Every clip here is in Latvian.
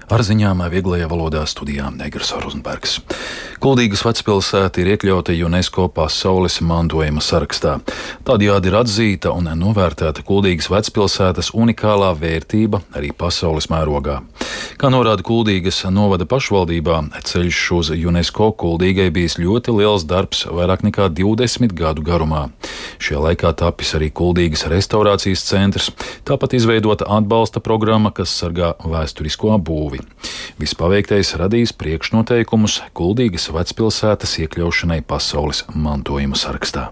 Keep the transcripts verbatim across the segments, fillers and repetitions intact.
Ar ziņām vieglajā valodā studijā Negras Rozenbergs. Kuldīgas vecpilsēta ir iekļauta UNESCO pasaules mantojuma sarakstā. Tādējādi ir atzīta un novērtēta Kuldīgas vecpilsētas unikālā vērtība arī pasaules mērogā. Kā norāda Kuldīgas novada pašvaldībā, ceļš uz UNESCO Kuldīgai bijis ļoti liels darbs vairāk nekā divdesmit gadu garumā. Šajā laikā tapis arī Kuldīgas restaurācijas centrs, tāpat izveidota atbalsta programma, kas sargā vēsturisko būvi. Viss paveiktais radīs priekšnoteikumus Kuldīgas vecpilsētas iekļaušanai pasaules mantojuma sarakstā.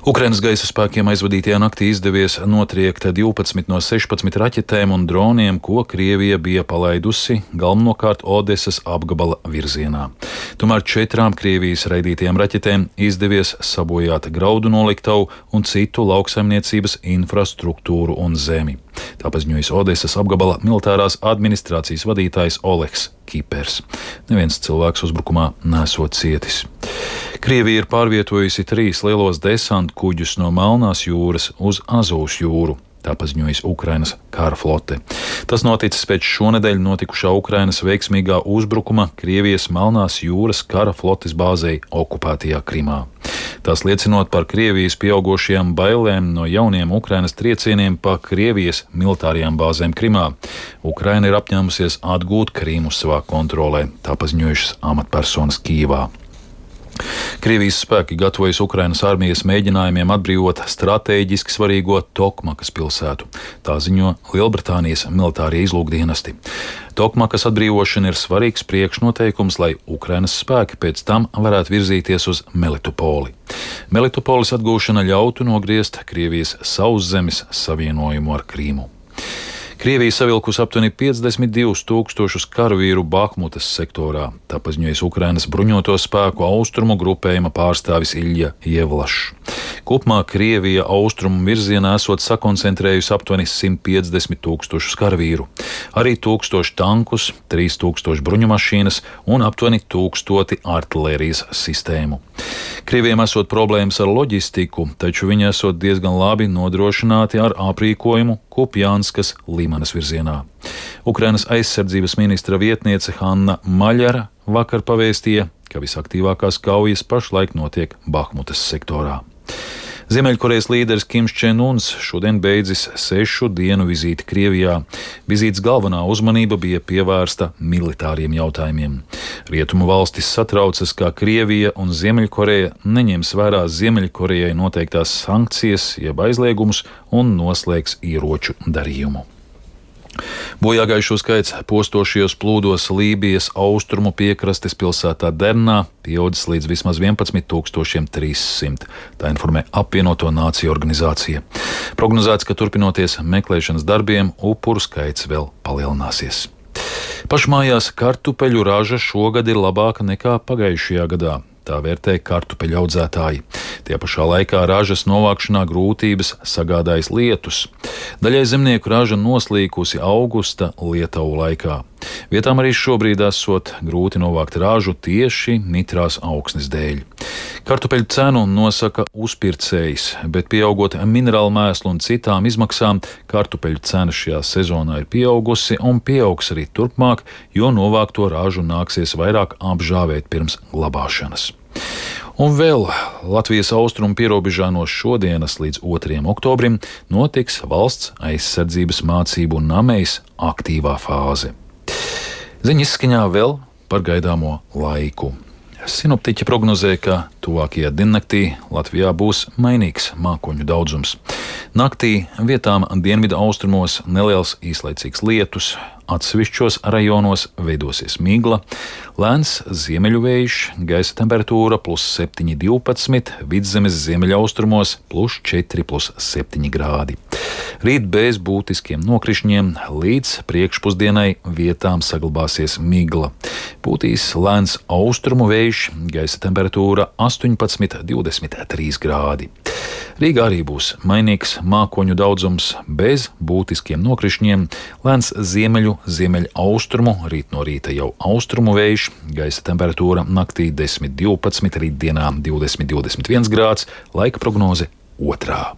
Ukrainas gaisa spēkiem aizvadītajā naktī izdevies notriekt divpadsmit no sešpadsmit raķetēm un droniem, ko Krievija bija palaidusi galvenokārt Odesas apgabala virzienā. Tomēr četrām Krievijas raidītajām raķetēm izdevies sabojāt graudu noliktavu un citu lauksaimniecības infrastruktūru un zemi. Tā paziņojas Odesas apgabala militārās administrācijas vadītājs Oleks Kipers. Neviens cilvēks uzbrukumā nesot cietis. Krievija ir pārvietojusi trīs lielos desantu kuģus no Melnās jūras uz Azovas jūru. Tā paziņojas Ukrainas kara flote. Tas noticis pēc šonedēļ notikušā Ukrainas veiksmīgā uzbrukuma Krievijas Melnās jūras kara flotes bāzei okupētajā Krimā. Tas liecinot par Krievijas pieaugošajām bailēm no jauniem Ukrainas triecieniem pa Krievijas militārajām bāzēm Krimā. Ukraina ir apņēmusies atgūt Krimu savā kontrolē, tā paziņojušas amatpersonas Kijevā. Krievijas spēki gatavojas Ukrainas armijas mēģinājumiem atbrīvot stratēģiski svarīgo Tokmakas pilsētu. Tā ziņo Lielbritānijas militārie izlūkdienesti. Tokmakas atbrīvošana ir svarīgs priekšnoteikums, lai Ukrainas spēki pēc tam varētu virzīties uz Melitopoli. Melitopolis atgūšana ļautu nogriezt Krievijas sauszemes savienojumu ar Krīmu. Krievija savilkusi aptuveni piecdesmit divus tūkstošus karavīru Bahmutas sektorā, tā paziņojas Ukrainas bruņoto spēku austrumu grupējuma pārstāvis Ilja Jevlašs. Kopumā Krievija austrumu virzienā esot sakoncentrējusi aptuveni simt piecdesmit tūkstošus karavīru, arī tūkstoši tankus, trīs tūkstoši bruņumašīnas un aptuveni tūkstoti artilērijas sistēmu. Krievijam esot problēmas ar loģistiku, taču viņi esot diezgan labi nodrošināti ar aprīkojumu Kupjanskas Limanas virzienā. Ukrainas aizsardzības ministra vietniece Hanna Maļara vakar pavēstīja, ka visaktīvākās kaujas pašlaik notiek Bahmutas sektorā. Ziemeļkorejas līderis Kims Čen Uns šodien beidzis sešu dienu vizīti Krievijā. Vizītes galvenā uzmanība bija pievērsta militāriem jautājumiem. Rietumu valstis satraucas, ka Krievija un Ziemeļkoreja neņems vērā Ziemeļkorejai noteiktās sankcijas, jeb aizliegumus un noslēgs ieroču darījumu. Bojāgājušo skaits postošajos plūdos Lībijas austrumu piekrastes pilsētā Dernā pieaudzis līdz vismaz vienpadsmit tūkstošiem trīs simt. Tā informē Apvienoto Nāciju organizācija. Prognozēts, ka turpinoties meklēšanas darbiem, upuru skaits vēl palielināsies. Pašmājās kartupeļu raža šogad ir labāka nekā pagājušajā gadā. Tā vērtē kartupeļu audzētāji. Tie pašā laikā ražas novākšanā grūtības sagādājas lietus. Daļai zemnieku raža noslīkusi augusta lietavu laikā. Vietām arī šobrīd esot grūti novākt ražu tieši mitrās augsnes dēļ. Kartupeļu cenu nosaka uzpircējs, bet pieaugot minerālu mēslu un citām izmaksām, kartupeļu cena šajā sezonā ir pieaugusi un pieaugs arī turpmāk, jo novākto ražu nāksies vairāk apžāvēt pirms glabāšanas. Un vēl Latvijas austrumu pierobežā no šodienas līdz otrajam oktobrim notiks valsts aizsardzības mācību namejas aktīvā fāze. Ziņas izskaņā vēl par gaidāmo laiku. Sinoptiķi prognozē, ka tuvākajā diennaktī Latvijā būs mainīgs mākoņu daudzums. Naktī vietām dienvidu austrumos neliels īslaicīgs lietus, atsevišķos rajonos veidosies migla, lēns ziemeļu vējš, gaisa temperatūra plus septiņi divpadsmit, vidzemes ziemeļaustrumos plus četri plus septiņi grādi. Rīt bez būtiskiem nokrišņiem līdz priekšpusdienai vietām saglabāsies migla. Pūtīs lēns austrumu vējš, gaisa temperatūra astoņpadsmit divdesmit trīs grādi. Rīgā arī būs mainīgs mākoņu daudzums bez būtiskiem nokrišņiem, lēns ziemeļu, ziemeļaustrumu, rīt no rīta jau austrumu vējš, gaisa temperatūra naktī desmit divpadsmit, rītdienā divdesmit divdesmit viens grāds, laika prognoze otrā.